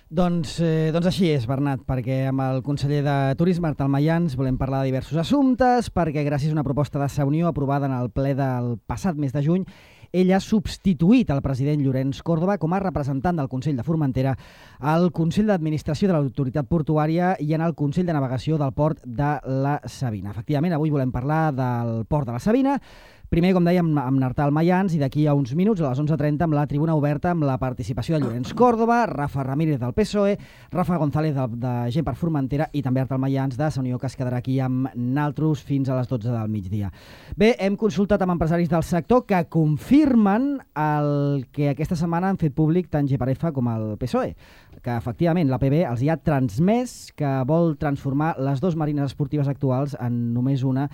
Doncs així és, Bernat, perquè amb el conseller de Turisme, Artal Mayans, volem parlar de diversos assumptes, perquè gràcies a una proposta de Unió aprovada en el ple del passat mes de juny, ell ha substituït el president Llorenç Córdoba com a representant del Consell de Formentera al Consell d'Administració de l'Autoritat Portuària i en el Consell de Navegació del Port de la Sabina. Efectivament, avui volem parlar del Port de la Sabina, primer, com dèiem, amb Artal Mayans i d'aquí a uns minuts, a les 11:30, amb la tribuna oberta amb la participació de Llorenç Córdoba, Rafa Ramírez del PSOE, Rafa González de Gent per Formentera i també Artal Mayans de Unió, que es quedarà aquí amb naltros fins a les 12 del migdia. Bé, hem consultat amb empresaris del sector que confirmen el que aquesta setmana han fet públic tant GPRF com el PSOE, que efectivament l'APB els hi ha transmès que vol transformar les dues marines esportives actuals en només una.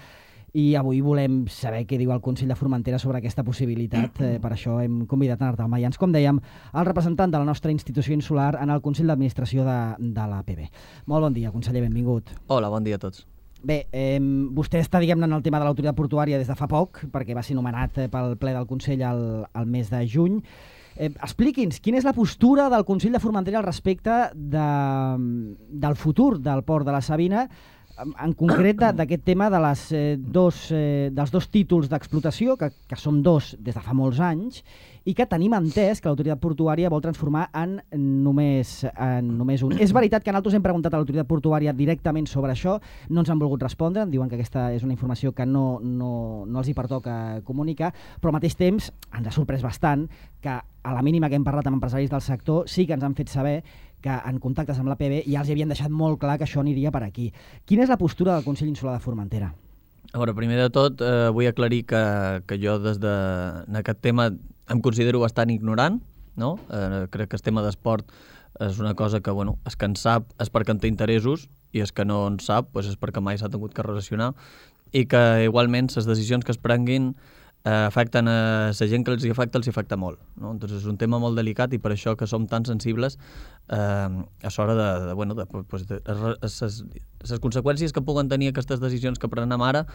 I avui volem saber què diu el Consell de Formentera sobre aquesta possibilitat. Per això hem convidat a Artal Mayans, com dèiem, el representant de la nostra institució insular en el Consell d'Administració de l'APB. Molt bon dia, conseller, benvingut. Hola, bon dia a tots. Bé, vostè està, diguem-ne, en el tema de l'autoritat portuària des de fa poc, perquè va ser nomenat pel ple del Consell al mes de juny. Expliqui'ns, quina és la postura del Consell de Formentera al respecte del futur del Port de la Sabina, en concret d'aquest tema de dels dos títols d'explotació, que són dos des de fa molts anys, i que tenim entès que l'autoritat portuària vol transformar en només un. És veritat que nosaltres hem preguntat a l'autoritat portuària directament sobre això, no ens han volgut respondre, em diuen que aquesta és una informació que no els hi pertoca comunicar, però al mateix temps ens ha sorprès bastant que a la mínima que hem parlat amb empresaris del sector sí que ens han fet saber que en contactes amb l'APB ja els havien deixat molt clar que això aniria per aquí. Quina és la postura del Consell Insular de Formentera? A veure, primer de tot vull aclarir que jo en aquest tema em considero bastant ignorant, no? Crec que el tema d'esport és una cosa que, bueno, és que en sap és perquè en té interessos i és que no en sap doncs és perquè mai s'ha tingut que relacionar i que igualment les decisions que es prenguin afecten a la gent que els afecta molt, no? Entonces és un tema molt delicat i per això que som tan sensibles a l'hora de les conseqüències que puguen tenir aquestes decisions que prenem ara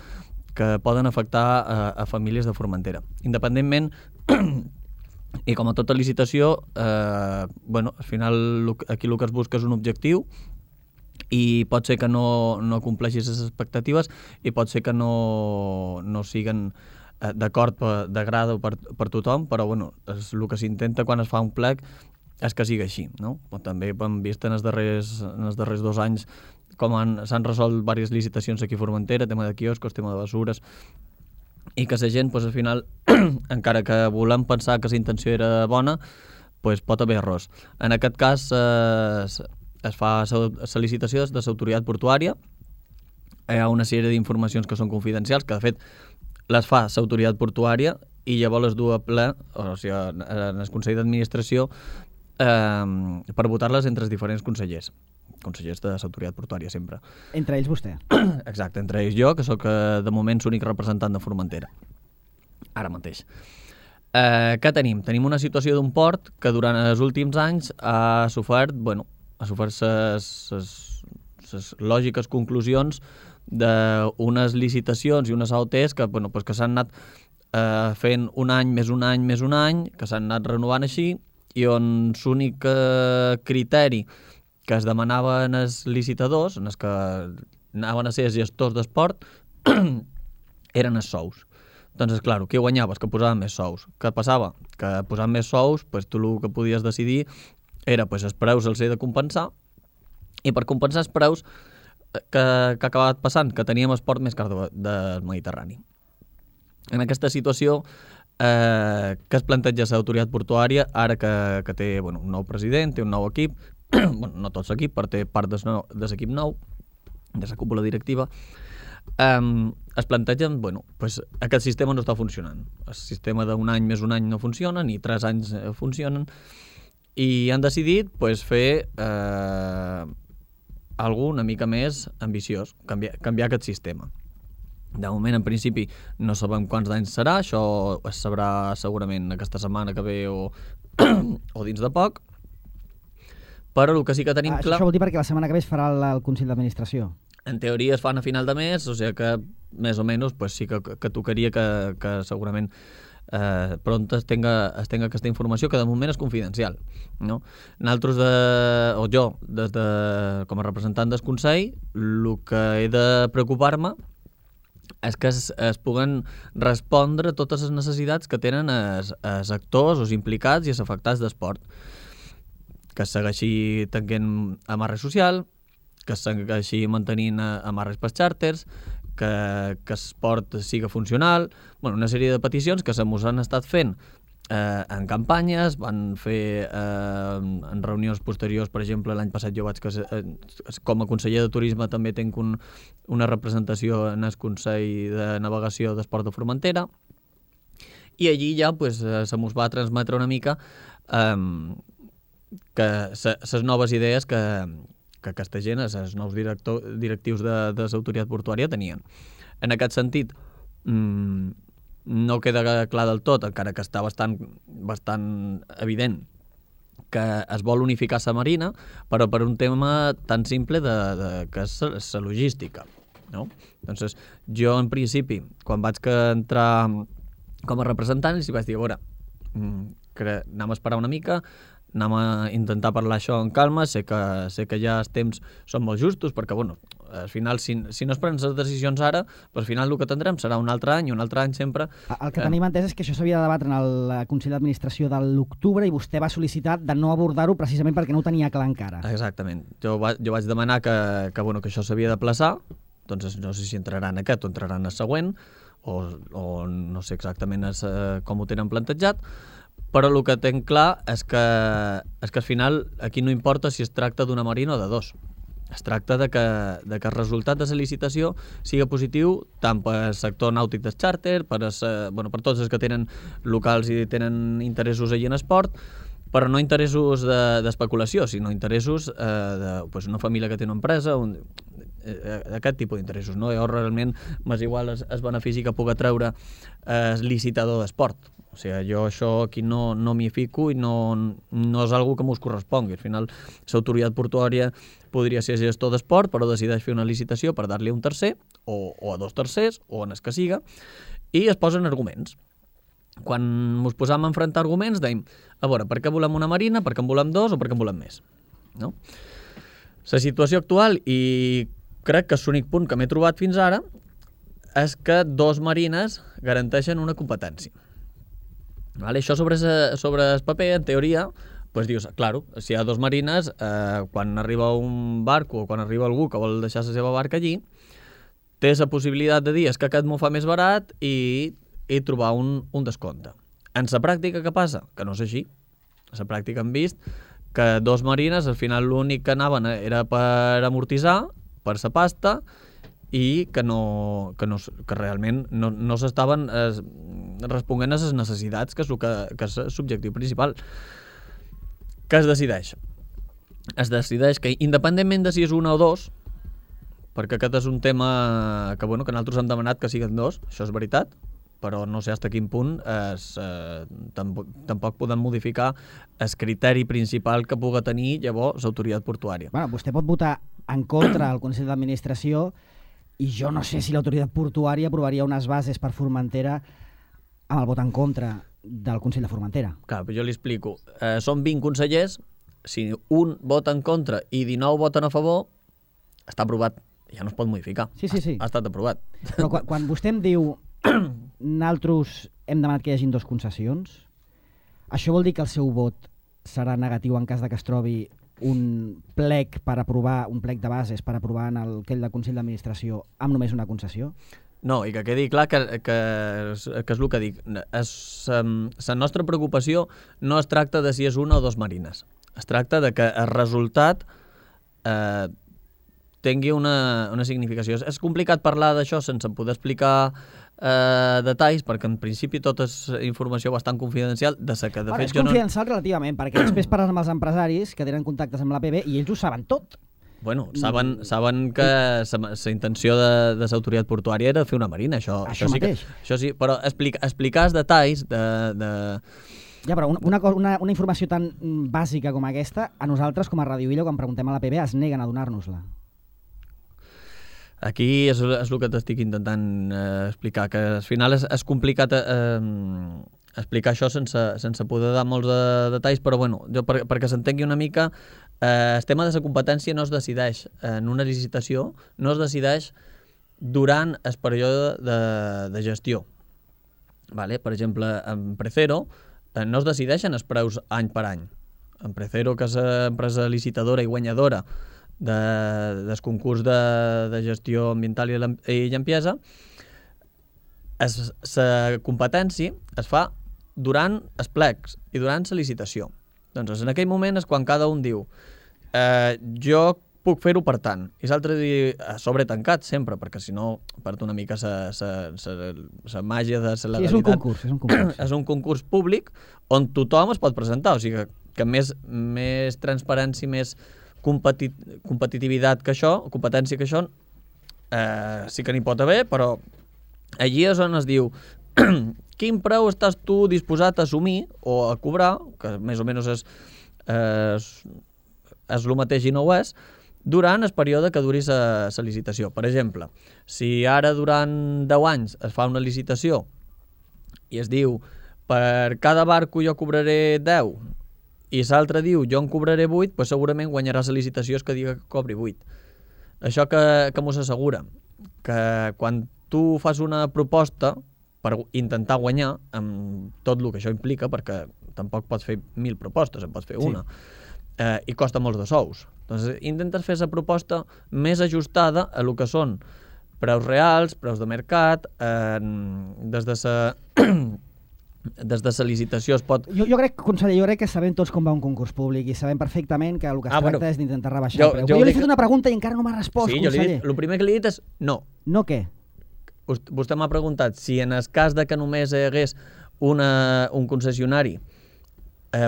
que poden afectar a famílies de Formentera. Independentment, i com a tota licitació, al final aquí el que es busca és un objectiu i pot ser que no compleixis les expectatives i pot ser que no siguen d'acord d'agrada per tothom, però és el que s'intenta quan es fa un plec és que sigui així, no? També hem vist en els darrers 2 anys com s'han resolt diverses licitacions aquí a Formentera, tema de quioscos, tema de basures, i que la gent, al final, encara que volem pensar que la intenció era bona, pot haver errors. En aquest cas es fa la licitació de l'autoritat portuària, hi ha una sèrie d'informacions que són confidencials, que de fet les fa l'autoritat portuària i llavors les du a ple, o sigui, en el Consell d'Administració, per votar-les entre els diferents consellers de l'autoritat portuària sempre. Entre ells vostè? Exacte, entre ells jo, que sóc de moment l'únic representant de Formentera, ara mateix. Què tenim? Tenim una situació d'un port que durant els últims anys ha sofert les lògiques conclusions d'unes licitacions i unes AOTs que s'han anat fent un any, que s'han anat renovant així, i on l'únic criteri que es demanaven els licitadors, en els que anaven a ser els gestors d'esport, eren els sous. Doncs, clar, què guanyaves? Que posaven més sous. Què passava? Que posant més sous, tu el que podies decidir era els preus els he de compensar, i per compensar els preus que ha acabat passant, que teníem esport més car del Mediterrani. En aquesta situació, que es planteja l'autoritat portuària, ara que té un nou president, té un nou equip, no tot l'equip, però té part de l'equip nou, de la cúpula directiva, es plantegen, aquest sistema no està funcionant. El sistema d'un any més un any no funciona, ni 3 anys funcionen, i han decidit fer alguna una mica més ambiciós, canviar aquest sistema. De moment, en principi, no sabem quants anys serà, això es sabrà segurament aquesta setmana que ve o dins de poc, però el que sí que tenim clar... Això vol dir perquè la setmana que ve es farà el Consell d'Administració. En teoria es fan a final de mes, o sigui que més o menys sí que tocaria que segurament pront es tenga aquesta informació, que de moment és confidencial, no? Nosaltres, o jo, com a representant del Consell, el que he de preocupar-me és que es puguen respondre totes les necessitats que tenen els actors, els implicats i els afectats d'esport. Que es segueixi tanquent amarres social, que es segueixi mantenint amarres per xàrters, que l'esport siga funcional, una sèrie de peticions que se mos han estat fent en campanyes, van fer en reunions posteriors, per exemple, l'any passat jo vaig com a conseller de turisme també tinc una representació en el Consell de Navegació d'Esport de Formentera, i allí ja se mos va transmetre una mica que les noves idees que aquesta gent, els nous directius de l'autoritat portuària tenien. En aquest sentit, no queda clar del tot, encara que està bastant evident que es vol unificar la marina, però per un tema tan simple que és la logística, no? Entonces, jo, en principi, quan vaig entrar com a representant, els vaig dir, a veure, anem a esperar una mica, anem a intentar parlar això en calma, sé que ja els temps són molt justos, perquè, al final, si no es prenen les decisions ara, al final el que tindrem serà un altre any sempre... El que tenim entès és que això s'havia de debatre en el Consell d'Administració de l'octubre i vostè va sol·licitar de no abordar-ho precisament perquè no ho tenia clar encara. Exactament. Jo vaig demanar que això s'havia d'aplaçar, doncs no sé si entrarà en aquest o entrarà en el següent, o no sé exactament com ho tenen plantejat, però el que tenc clar és que al final aquí no importa si es tracta d'una marina o de dos. Es tracta de que el resultat de la licitació sigui positiu tant pel sector nàutic del xàrter, per tots els que tenen locals i tenen interessos allà en esport, però no interessos d'especulació, sinó interessos d'una família que té una empresa, d'aquest tipus d'interessos, no? Jo realment m'és igual el benefici que pugui treure el licitador d'esport. O sigui, jo això aquí no m'hi fico i no és algo que m'ho correspongui. Al final, l'autoritat portuària podria ser gestor d'esport, però decideix fer una licitació per dar-li a un tercer, o a dos tercers, o en el que siga, i es posen arguments. Quan ens posam a enfrontar arguments, dèiem, a veure, per què volem una marina, per què en volem dos o per què en volem més? No? La situació actual, i crec que és l'únic punt que m'he trobat fins ara, és que dos marines garanteixen una competència. Vale? Això sobre el paper, en teoria, dius, claro, si hi ha dos marines, quan arriba un barco o quan arriba algú que vol deixar la seva barca allí, té la possibilitat de dir que aquest m'ho fa més barat i trobar un descompte. En la pràctica, què passa? Que no és així. En la pràctica hem vist que dos marines, al final l'únic que anaven era per amortitzar, per la pasta, i que realment no s'estaven responent a les necessitats, que és l'objectiu principal. Què es decideix? Es decideix que, independentment de si és una o dos, perquè aquest és un tema que nosaltres hem demanat que siguin dos, això és veritat, però no sé fins a quin punt tampoc podem modificar el criteri principal que pugui tenir llavors l'autoritat portuària. Vostè pot votar en contra al Consell d'Administració i jo no sé si l'autoritat portuària aprovaria unes bases per Formentera amb el vot en contra del Consell de Formentera. Clar, però jo li explico. Són 20 consellers, si un vota en contra i 19 voten a favor, està aprovat. Ja no es pot modificar. Sí. Ha estat aprovat. Però quan vostè em diu nosaltres hem demanat que hi hagin dos concessions, això vol dir que el seu vot serà negatiu en cas que es trobi un plec de bases per aprovar en el Consell d'Administració amb només una concessió? No, i que quedi clar que és el que dic. La nostra preocupació no es tracta de si és una o dos marines. Es tracta de que el resultat tingui una significació. És complicat parlar d'això sense poder explicar detalls, perquè en principi tota és informació bastant confidencial. És confidencial relativament, perquè després parles amb els empresaris que tenen contactes amb l'APB i ells ho saben tot. Bueno, saben que la intenció de l'autoritat portuària era fer una marina, això mateix. Això sí, però explicar els detalls Ja, però una informació tan bàsica com aquesta, a nosaltres, com a Radio Illa, quan preguntem a l'APB, es neguen a donar-nos-la. Aquí és el que t'estic intentant explicar, que al final és complicat explicar això sense poder dar molts detalls, però bueno, jo perquè s'entengui una mica, el tema de la competència no es decideix en una licitació, no es decideix durant el període de gestió. Vale? Per exemple, en Precero no es decideixen els preus any per any. En Precero, que és empresa licitadora i guanyadora del concurs de gestió ambiental i limpiesa, la competència es fa durant els plecs i durant la licitació. Doncs en aquell moment és quan cada un diu jo puc fer-ho per tant, i l'altre diu a sobre tancat sempre, perquè si no perd una mica la màgia de la legalitat. Sí, és un concurs. És un concurs públic on tothom es pot presentar, o sigui que més transparència, més competitivitat que això, competència que això, sí que n'hi pot haver, però allí és on es diu quin preu estàs tu disposat a assumir o a cobrar, que més o menys és el mateix i no ho és, durant el període que duri la licitació. Per exemple, si ara durant 10 anys es fa una licitació i es diu per cada barco jo cobraré 10 i l'altre diu jo en cobraré 8, doncs segurament guanyarà la licitació que diga que cobri 8. Això que mos assegura que quan tu fas una proposta per intentar guanyar amb tot el que això implica, perquè tampoc pots fer 1.000 propostes, en pots fer una, i costa molts de sous. Doncs intentes fer la proposta més ajustada a el que són preus reals, preus de mercat, des de la licitació es pot... Jo crec, conseller, que sabem tots com va un concurs públic i sabem perfectament que el que es tracta és d'intentar rebaixar el preu. Jo li he fet una pregunta i encara no m'ha respost, conseller. Sí, el primer que li he dit és no. No què? Vostè m'ha preguntat si en el cas de que només hi hagués un concessionari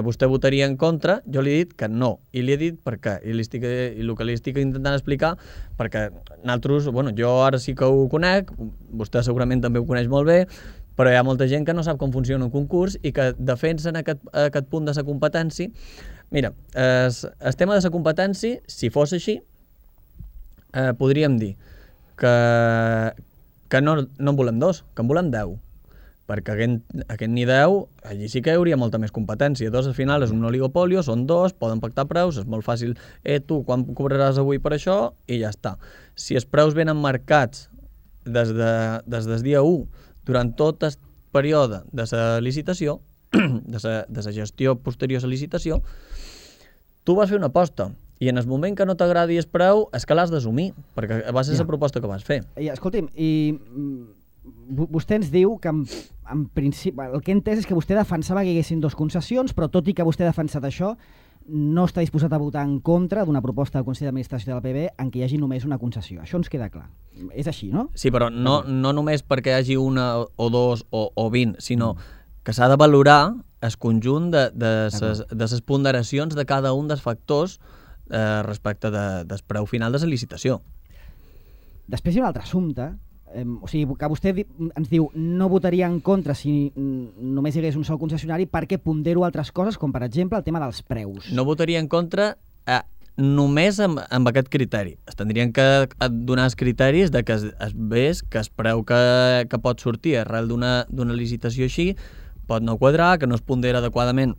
vostè votaria en contra. Jo li he dit que no, i li he dit per què, i el que li estic intentant explicar, perquè nosaltres, jo ara sí que ho conec, vostè segurament també ho coneix molt bé, però hi ha molta gent que no sap com funciona un concurs i que defensen aquest punt de la competència. Mira, el tema de la competència, si fos així, podríem dir que no en volem 2, que en volem 10. Perquè aquest ni 10, allí sí que hi hauria molta més competència. 2 al final és un oligopolio, són 2, poden pactar preus, és molt fàcil, tu quan cobraràs avui per això, i ja està. Si els preus venen marcats des del dia 1, durant tot el període de la licitació, de la gestió posterior a la licitació, tu vas fer una aposta, i en el moment que no t'agradi el preu és que l'has d'assumir, perquè va ser la proposta que vas fer. Escolti'm, vostè ens diu que en principi, el que he entès és que vostè defensava que hi haguessin 2 concessions, però tot i que vostè ha defensat això, no està disposat a votar en contra d'una proposta del Consell d'Administració de la PB en què hi hagi només una concessió. Això ens queda clar. És així, no? Sí, però no només perquè hi hagi una o 2 o 20, sinó que s'ha de valorar el conjunt de les ponderacions de cada un dels factors respecte del preu final de la licitació. Després hi ha un altre assumpte, o sigui, que vostè ens diu no votaria en contra si només hi hagués un sol concessionari perquè pondero altres coses, com per exemple el tema dels preus. No votaria en contra només amb aquest criteri. Es tindrien que donar els criteris de que es vés que el preu que pot sortir arrel d'una licitació així pot no quadrar, que no es pondera adequadament,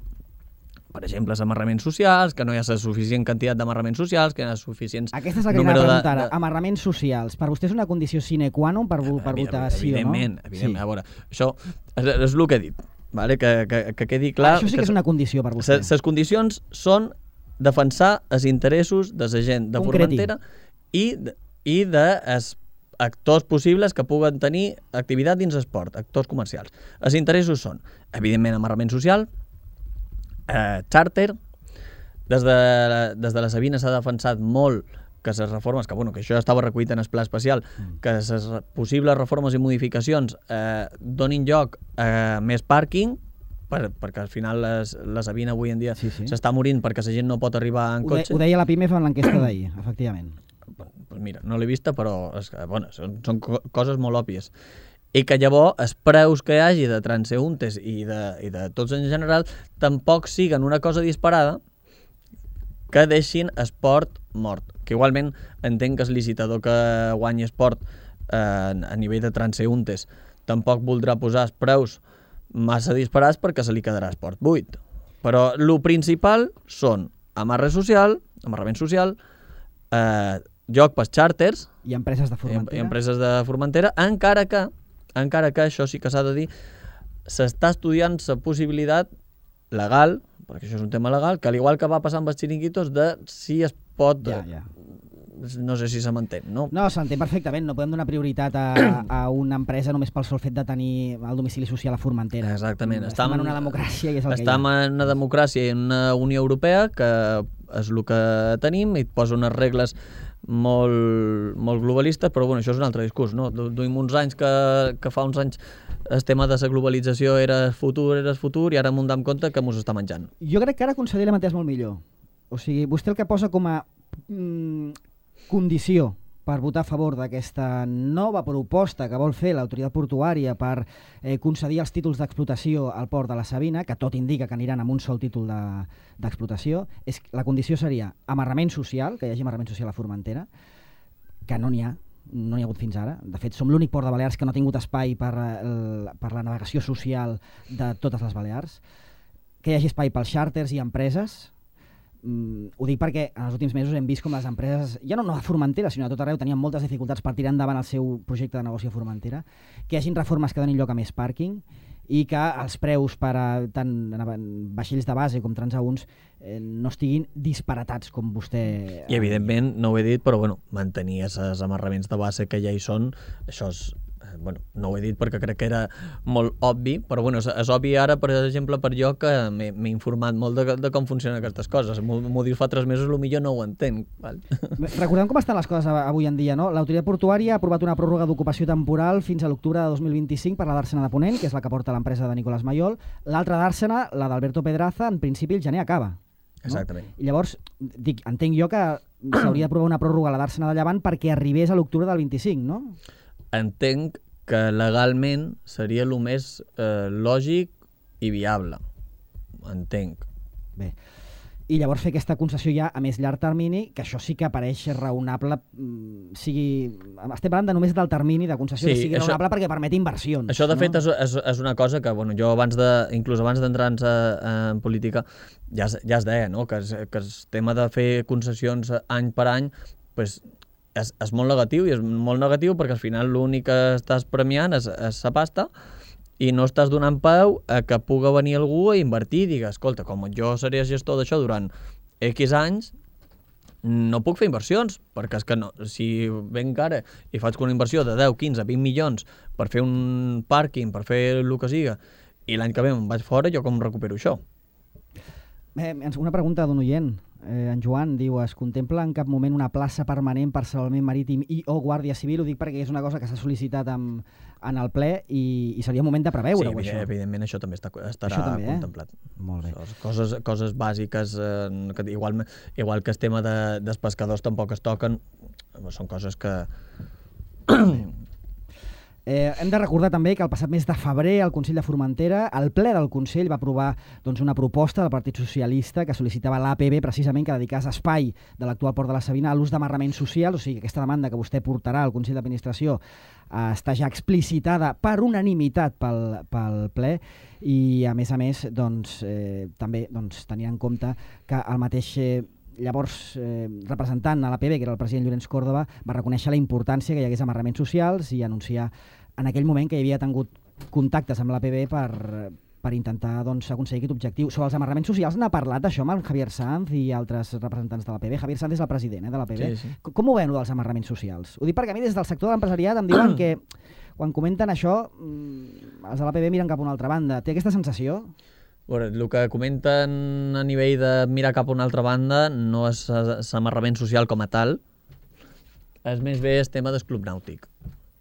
per exemple, els amarraments socials, que no hi ha la suficient quantitat d'amarraments socials, que hi ha suficient... Aquesta és la que anava a preguntar ara. Amarraments socials. Per vostè és una condició sine qua non per votar sí o no? Evidentment. A veure, això és el que he dit, vale? Que quedi clar... Això sí que és una condició per vostè. Les condicions són defensar els interessos de la gent de Formentera i dels actors possibles que puguen tenir activitat dins l'esport, actors comercials. Els interessos són, evidentment, amarrament social, charter. Des de la Sabina s'ha defensat molt que les reformes, que això ja estava recollit en el pla especial, que les possibles reformes i modificacions donin lloc a més pàrquing, perquè al final la Sabina avui en dia s'està morint perquè la gent no pot arribar en cotxe. Ho deia la PIMEF en l'enquesta d'ahir, efectivament. Pues mira, no l'he vista, però són coses molt òbvies. I que llavors els preus que hi hagi de transeúntes i de tots en general tampoc siguen una cosa disparada que deixin esport mort. Que igualment entenc que el licitador que guanyi esport a nivell de transeúntes tampoc voldrà posar els preus massa disparats perquè se li quedarà esport buit. Però el principal són amarrament social, joc pels xàrters i empreses de Formentera. I empreses de Formentera, encara que això sí que s'ha de dir, s'està estudiant la possibilitat legal, perquè això és un tema legal, que al igual que va passar amb els xiringuitos, de si es pot... No sé si se m'entén, no? No, s'entén perfectament. No podem donar prioritat a una empresa només pel sol fet de tenir el domicili social a Formentera. Exactament. Estem en una democràcia i és el que hi ha. Estem en una democràcia i en una Unió Europea, que és el que tenim, i et posa unes regles molt globalistes, però bueno, això és un altre discurs, no? Duim uns anys que fa uns anys el tema de la globalització era futur, i ara m'ho dam compte que mos està menjant. Jo crec que ara, conseller, l'hem entès molt millor. O sigui, vostè el que posa com a condició per votar a favor d'aquesta nova proposta que vol fer l'autoritat portuària per concedir els títols d'explotació al port de la Sabina, que tot indica que aniran amb un sol títol d'explotació, la condició seria amarrament social, que hi hagi amarrament social a Formentera, que no n'hi ha hagut fins ara. De fet, som l'únic port de Balears que no ha tingut espai per la navegació social de totes les Balears, que hi hagi espai pels xàrters i empreses. Ho dic perquè en els últims mesos hem vist com les empreses, ja no a Formentera, sinó a tot arreu, tenien moltes dificultats per tirar endavant el seu projecte de negoci a Formentera, que hi hagin reformes que donin lloc a més pàrquing i que els preus per a tant vaixells de base com transaünts no estiguin disparatats com vostè... I evidentment, no ho he dit, però bueno, mantenir els amarraments de base que ja hi són, això és... Bueno, no ho he dit perquè crec que era molt obvi, però bueno, és obvi ara, per exemple, per jo que m'he informat molt de com funcionen aquestes coses. M'ho dius fa 3 mesos, potser no ho entenc. Val? Recordem com estan les coses avui en dia, no? L'autoritat portuària ha aprovat una pròrroga d'ocupació temporal fins a l'octubre de 2025 per la d'Àrsena de Ponent, que és la que porta l'empresa de Nicolás Mayol. L'altra d'Àrsena, la d'Alberto Pedraza, en principi el gener acaba. No? Exactament. I llavors, entenc jo que s'hauria d'aprovar una pròrroga a la d'Àrsena de Llevant perquè arribés a l'octubre del 25, no? Entenc que legalment seria el més lògic i viable. Entenc. Bé. I llavors fer aquesta concessió ja a més llarg termini, que això sí que apareix raonable, estem parlant de només del termini de concessió, sí, que sigui raonable perquè permet inversions. Això, de fet, és una cosa que bueno, jo inclús abans d'entrar en política ja es deia, no? que el tema de fer concessions any per any pues, és molt negatiu, i és molt negatiu perquè al final l'únic que estàs premiant és la pasta i no estàs donant peu a que pugui venir algú a invertir i dir, escolta, com jo seré gestor d'això durant X anys, no puc fer inversions, perquè és que no, si venc ara i faig una inversió de 10, 15, 20 milions per fer un pàrquing, per fer el que siga, i l'any que ve me'n vaig fora, jo com recupero això? Una pregunta d'un oient. En Joan diu, es contempla en cap moment una plaça permanent per salvament marítim i o guàrdia civil? Ho dic perquè és una cosa que s'ha sol·licitat en el ple i seria moment de preveure-ho, això. Sí, evidentment això també estarà contemplat. Molt bé. Coses bàsiques, igual que el tema dels pescadors tampoc es toquen, són coses que... Hem de recordar també que el passat mes de febrer el Consell de Formentera, el ple del Consell, va aprovar una proposta del Partit Socialista que sol·licitava l'APB precisament que dedicés espai de l'actual port de la Sabina a l'ús d'amarraments socials, o sigui que aquesta demanda que vostè portarà al Consell d'Administració està ja explicitada per unanimitat pel ple i a més també tenint en compte que el mateix llavors representant a l'APB, que era el president Llorenç Córdoba, va reconèixer la importància que hi hagués amarraments socials i anunciar en aquell moment que hi havia tingut contactes amb l'APB per intentar aconseguir aquest objectiu. Sobre els amarraments socials n'ha parlat això amb el Javier Sanz i altres representants de l'APB. Javier Sanz és el president de l'APB. Sí. Com ho veuen, dels amarraments socials? Ho dic perquè a mi des del sector de l'empresariat em diuen que quan comenten això els de l'APB miren cap a una altra banda. Té aquesta sensació? Bueno, el que comenten a nivell de mirar cap a una altra banda no és l'amarrament social com a tal, és més bé el tema del club nàutic.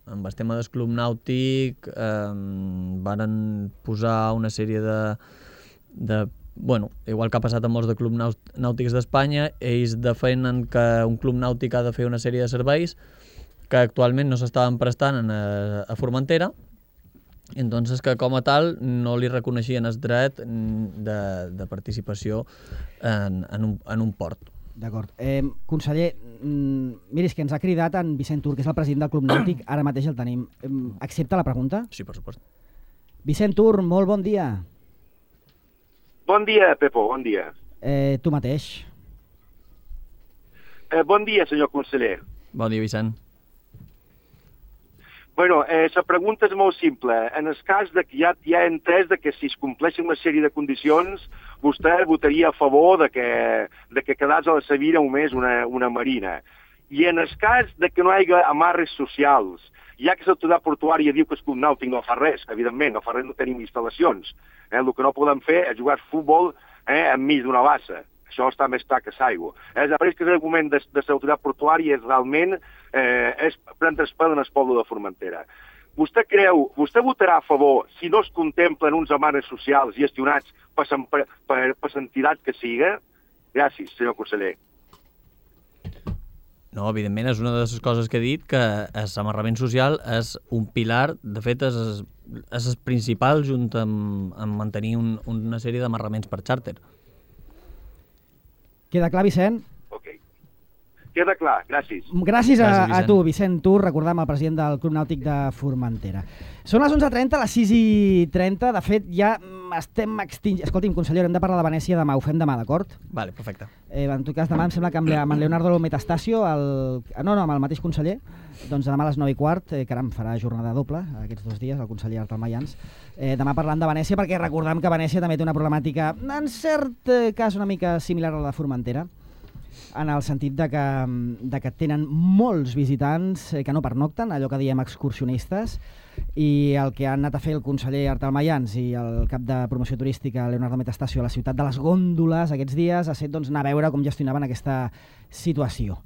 Amb el tema del club nàutic varen posar una sèrie bueno, igual que ha passat amb molts de clubs nàutics d'Espanya, ells defenen que un club nàutic ha de fer una sèrie de serveis que actualment no s'estaven prestant a Formentera, entonces que com a tal no li reconeixien el dret de participació en un port. D'acord. Conseller, miri, és que ens ha cridat en Vicent Tur, que és el president del Club Nàutic, ara mateix el tenim. Accepta la pregunta? Sí, per supost. Vicent Tur, molt bon dia. Bon dia, Pepo, bon dia. Tu mateix. Bon dia, senyor conseller. Bon dia, Vicent. Bueno, la pregunta és molt simple. En el cas de que ja ha entès de que si es compleixen una sèrie de condicions, vostè votaria a favor de que quedés a la Sevilla només una marina. I en el cas de que no hi hagi amarres socials, ja que l'autoritat portuària diu que el club nàutic no fa res, evidentment, no fa res, no tenim instal·lacions. El que no podem fer és jugar a futbol enmig d'una bassa. Això està més clar que l'aigua. Pareix que l'argument de l'autoritat portuària és realment és prendre el pèl en el poble de Formentera. Vostè votarà a favor si no es contemplen uns amarres socials gestionats per l'entitat que siga? Gràcies, senyor conseller. No, evidentment, és una de les coses que he dit, que l'amarrament social és un pilar, de fet, és el principal junt amb mantenir una sèrie d'amarraments per xàrter. Queda clar, Vicent? Ok. Queda clar, gràcies. Gràcies a tu, Vicent Tur, recordam el president del Club Nàutic de Formentera. Són les 11:30, les 6:30, de fet ja estem extingint. Escolti'm, conseller, hem de parlar de Venècia demà, ho fem demà, d'acord? Vale, perfecte. En tot cas, demà em sembla que amb en Leonardo Metastasio, amb el mateix conseller, doncs demà a les 9:15, caram, farà jornada doble aquests 2 dies, el conseller Artal Mayans. Demà parlant de Venècia, perquè recordam que Venècia també té una problemàtica, en cert cas, una mica similar a la de Formentera, en el sentit de que tenen molts visitants que no pernocten, allò que diem excursionistes, i el que han anat a fer el conseller Artal Mayans i el cap de promoció turística Leonardo Metastasio a la ciutat de les gòndoles aquests dies ha estat anar a veure com gestionaven aquesta situació.